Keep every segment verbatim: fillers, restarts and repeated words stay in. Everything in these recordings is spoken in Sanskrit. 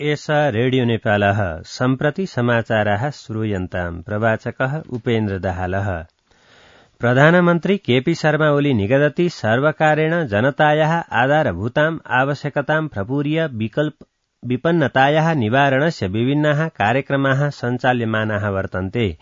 एष रेडियो नेपालः सम्प्रति समाचाराः श्रूयन्ताम्। प्रवाचकः उपेन्द्र दाहालः। प्रधानमन्त्री केपी शर्मा ओली निगदति सर्वकारेण जनतायाः आधारभूताम् आवश्यकताम् प्रपूर्य विकल्प विपन्नतायाः निवारणस्य विभिन्नाः कार्यक्रमाः सञ्चाल्यमानाः वर्तन्ते।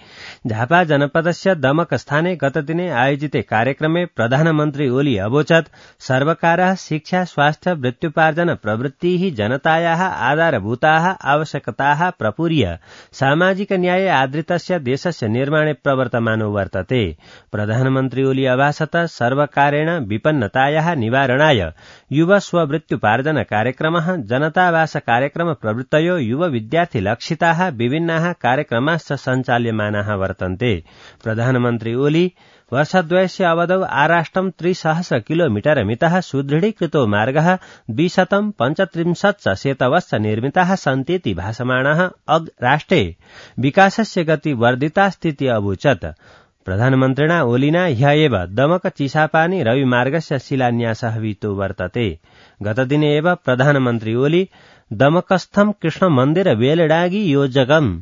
झापा जनपदस्य दमकस्थाने गतदिने आयोजिते कार्यक्रमे प्रधानमन्त्री ओली अवोचत् सर्वकारः शिक्षा स्वास्थ्य वृत्त्युपार्जन प्रवृत्तिः जनतायाः आधारभूताः आवश्यकताः प्रपूर्य सामाजिक न्याय आदृतस्य देशस्य निर्माणे प्रवर्तमानो वर्तते। प्रधानमन्त्री ओली अभासत सर्वकारेण विपन्नतायाः निवारणाय युव स्ववृत्त्युपार्जन कार्यक्रमः जनतावास कार्यक्रम प्रवृत्तयो युव विद्यार्थी लक्षिताः विभिन्नाः कार्यक्रमाश्च सञ्चाल्यमानाः वर्तन्ते। प्रधानमन्त्री ओली वर्षद्वयस्य अवधौ आराष्ट्रं त्रिसहस्र किलोमीटर मितः सुदृढीकृतो मार्गः द्विशतं पञ्चत्रिंशच्च शेतवश्च निर्मिताः सन्तीति भाषमाणः अग् राष्ट्रे विकासस्य गति वर्धितास्तीति अवोचत्। प्रधानमन्त्रिणा ओलिना ह्य एव दमक चिसापानी रविमार्गस्य शिलान्यासः विहितो वर्तते। गतदिने एव प्रधानमन्त्री ओली दमकस्थं कृष्णमन्दिर वेलडागी योजकम्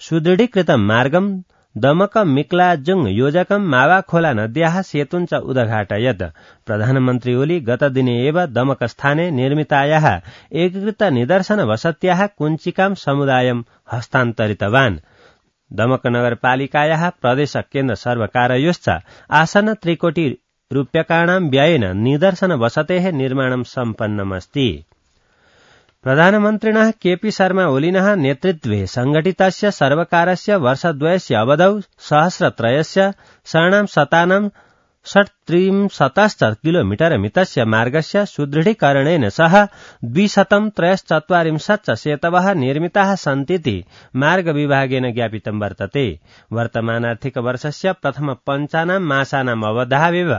सुदृढीकृतं मार्गं दमक मिक्लाजुङ योजकं मावाखोला नद्याः सेतुञ्च उदघाटयत्। प्रधानमन्त्री ओली गतदिने एव दमकस्थाने निर्मितायाः एकीकृत निदर्शन वसत्याः कुञ्चिकां समुदायं हस्तान्तरितवान्। दमक नगरपालिकायाः प्रदेश केन्द्र सर्वकारयोश्च आसन्न त्रिकोटि रूप्यकाणां व्ययेन निदर्शन वसतेः निर्माणं सम्पन्नमस्ति। प्रधानमन्त्रिणः केपी शर्मा ओलिनः नेतृत्वे संघटितस्य सर्वकारस्य वर्षद्वयस्य अवधौ सहस्रत्रयस्य शरणां शतानां षट्त्रिंशतश्च किलोमीटर मितस्य मार्गस्य सुदृढीकरणेन सह द्विशतं त्रयश्चत्वारिंशच्च सेतवः निर्मिताः सन्तीति मार्गविभागेन ज्ञापितं वर्तते। वर्तमानार्थिक वर्षस्य प्रथम पञ्चानां मासानाम् अवधावेव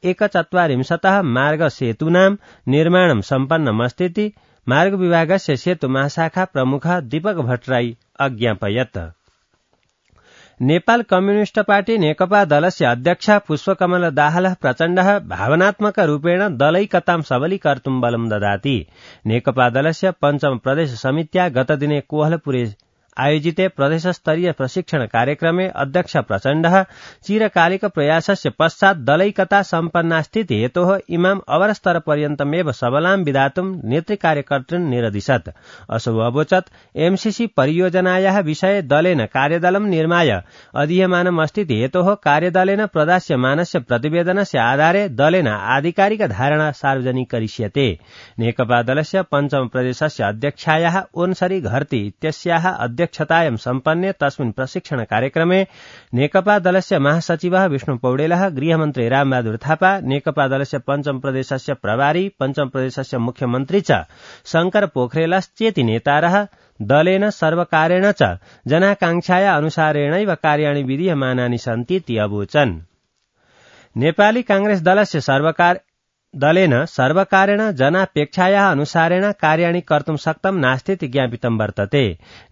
एकचत्वारिंशतः मार्गसेतूनां निर्माणं सम्पन्नमस्तीति मार्गविभागस्य सेतु महाशाखा प्रमुखः दीपक भट्टराई अज्ञापयत्। नेपाल कम्युनिष्ट पार्टी नेकपा दलस्य अध्यक्ष पुष्पकमल दाहाल प्रचण्डः भावनात्मक रूपेण दलैकतां सबलीकर्तुं बलं ददाति। नेकपा दलस्य पञ्चम प्रदेश समित्या गतदिने कोहलपुरे आयोजिते प्रदेशस्तरीय प्रशिक्षण कार्यक्रमे अध्यक्ष प्रचण्डः चिरकालिक प्रयासस्य पश्चात् दलैकता सम्पन्नास्तीति हेतोः इमाम् अवरस्तरपर्यन्तमेव सबलां विधातुं नेतृकार्यकर्तॄन् निरदिशत्। असौ अवोचत् एमसीसी परियोजनायाः विषये दलेन कार्यदलं निर्माय अधीयमानमस्तीति हेतोः कार्यदलेन प्रदास्यमानस्य प्रतिवेदनस्य आधारे दलेन आधिकारिक धारणा सार्वजनिकरिष्यते। नेकपा दलस्य पञ्चम प्रदेशस्य अध्यक्षायाः ओन्सरी घरती इत्यस्याः अध्यक्षतायां सम्पन्ने तस्मिन् प्रशिक्षण कार्यक्रमे नेकपा दलस्य महासचिवः विष्णु पौडेलः, गृहमन्त्री रामबहादुर थापा, नेकपा दलस्य पञ्चम प्रदेशस्य प्रभारी, पञ्चम प्रदेशस्य मुख्यमन्त्री च शंकर पोखरेलश्चेति नेतारः दलेन सर्वकारेण च जनाकांक्षाया अनुसारेणैव कार्याणि विधीयमानानि सन्तीति अवोचन्। नेपाली कांग्रेस दलस्य सर्वकार दलेन सर्वकारेण जनापेक्षायाः अनुसारेण कार्याणि कर्तुं शक्तं नास्तीति ज्ञापितं वर्तते।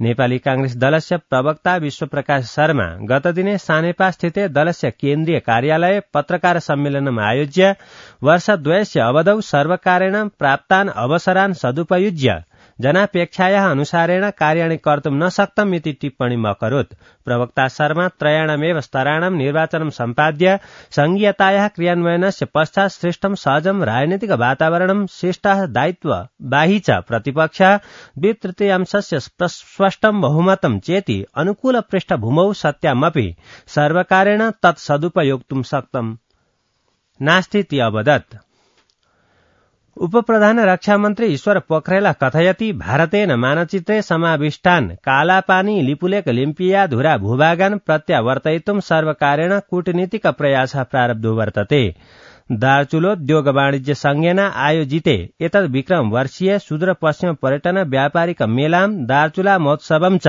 नेपाली कांग्रेस दलस्य प्रवक्ता विश्वप्रकाश शर्मा गतदिने सानेपा स्थिते दलस्य केन्द्रीय कार्यालये पत्रकार सम्मेलनम् आयोज्य वर्षद्वयस्य अवधौ सर्वकारेण प्राप्तान् अवसरान् सदुपयुज्य जनापेक्षायाः अनुसारेण कार्याणि कर्तुं न शक्तम् इति टिप्पणीम् अकरोत्। प्रवक्ता शर्मा त्रयाणामेव स्तराणां निर्वाचनं सम्पाद्य संघीयतायाः क्रियान्वयनस्य पश्चात् श्रेष्ठं सहजं राजनीतिक वातावरणं शिष्टः दायित्वबाही च प्रतिपक्षः द्वितृतीयांशस्य स्पष्टं बहुमतं चेति अनुकूल पृष्ठभूमौ सत्यामपि सर्वकारेण तत् सदुपयोक्तुं शक्तं नास्तीति अवदत्। उपप्रधान रक्षामन्त्री ईश्वर पोखरेल कथयति भारतेन मानचित्रे समाविष्टान् कालापानी लिपुलेख लिम्पिया धुरा भूभागान् प्रत्यावर्तयितुं सर्वकारेण कूटनीतिक प्रयासः प्रारब्धो वर्तते। दार्चुलोद्योग वाणिज्य संघेन आयोजिते एतद् विक्रम वर्षीय सुदूरपश्चिम पर्यटन व्यापारिक मेलां दार्चुला महोत्सवं च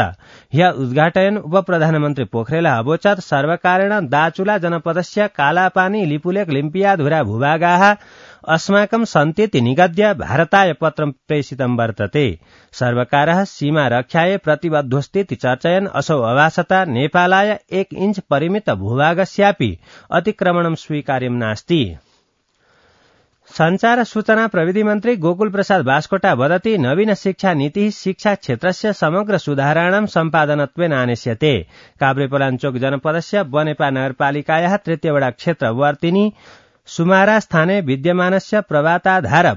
ह्य उद्घाटयन् उपप्रधानमन्त्री पोखरेल अवोचत् सर्वकारेण दार्चुला जनपदस्य कालापानी लिपुलेख लिम्पिया धुरा भूभागाः अस्माकं सन्तीति निगद्य भारताय पत्रं प्रेषितं वर्तते। सर्वकारः सीमा रक्षायै प्रतिबद्धोस्तीति चर्चयन् असौ अभासता नेपालाय एक इञ्च परिमित भूभागस्यापि अतिक्रमणं स्वीकार्यं नास्ति। संचार सूचना प्रविधि मन्त्री गोकुल प्रसाद बास्कोटा वदति नवीन शिक्षा नीतिः शिक्षा क्षेत्रस्य समग्र सुधाराणां सम्पादनत्वेन आनेष्यते। काभ्रेपलाञ्चोक जनपदस्य बनेपा नगरपालिकायाः तृतीयवडा क्षेत्रवर्तिनी सुमारा स्थाने विद्यमानस्य प्रभाताधार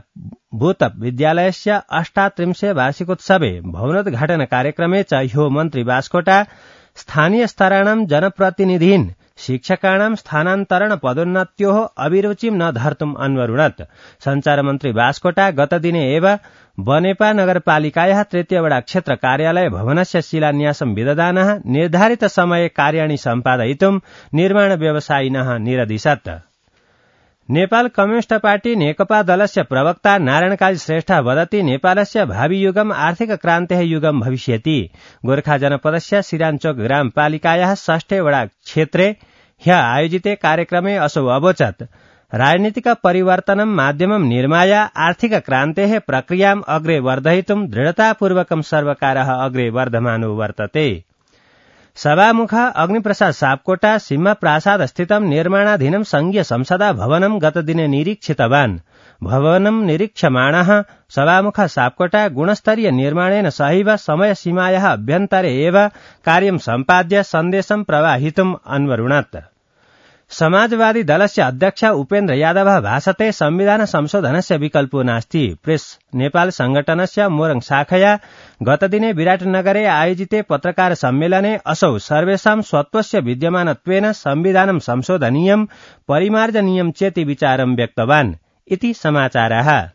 भूत विद्यालयस्य अष्टात्रिंशे वार्षिकोत्सवे भवनोद्घाटन कार्यक्रमे च ह्यो मन्त्री बास्कोटा स्थानीय स्तराणां जनप्रतिनिधीन् शिक्षकाणां स्थानान्तरण पदोन्नत्योः अभिरुचिं न धर्तुम् अन्वरुणत्। संचार मन्त्री बास्कोटा गतदिने एव बनेपा नगरपालिकायाः तृतीयवडा क्षेत्र कार्यालय भवनस्य शिलान्यासं विदधानः निर्धारित समये कार्याणि सम्पादयितुं निर्माण व्यवसायिनः निरदिशत्। नेपाल कम्युनिष्ट पार्टी नेकपा दलस्य प्रवक्ता नारायणकाजी श्रेष्ठ वदति नेपालस्य भावी युगम आर्थिक क्रान्तेः युगम भविष्यति। गोर्खा जनपदस्य सिराञ्चोक ग्रामपालिकायाः षष्ठे वडा क्षेत्रे ह्य आयोजिते कार्यक्रमे असौ अवोचत्। राजनीतिक परिवर्तनं माध्यमं निर्माय आर्थिक क्रान्तेः प्रक्रियाम् अग्रे वर्धयितुं दृढतापूर्वकं सर्वकारः अग्रे वर्धमानो वर्तते। सभामुख अग्निप्रसाद सापकोटा सिंह प्रासाद स्थितं निर्माणाधीनं संघीय संसदा भवनं गतदिने निरीक्षितवान्। भवनं निरीक्षमाणः सभामुख सापकोटा गुणस्तरीय निर्माणेन सहैव समयसीमायाः अभ्यन्तरे एव कार्यं सम्पाद्य सन्देशं प्रवाहितुम् अन्वरुणत्। समाजवादी दलस्य अध्यक्ष उपेन्द्र यादवः भाषते संविधान संशोधनस्य विकल्पो नास्ति। प्रेस नेपाल संगठनस्य मोरङ शाखया गतदिने विराटनगरे आयोजिते पत्रकार सम्मेलने असौ सर्वेषां स्वत्वस्य विद्यमानत्वेन संविधानं संशोधनीयं परिमार्जनीयं चेति विचारं व्यक्तवान् इति समाचारः।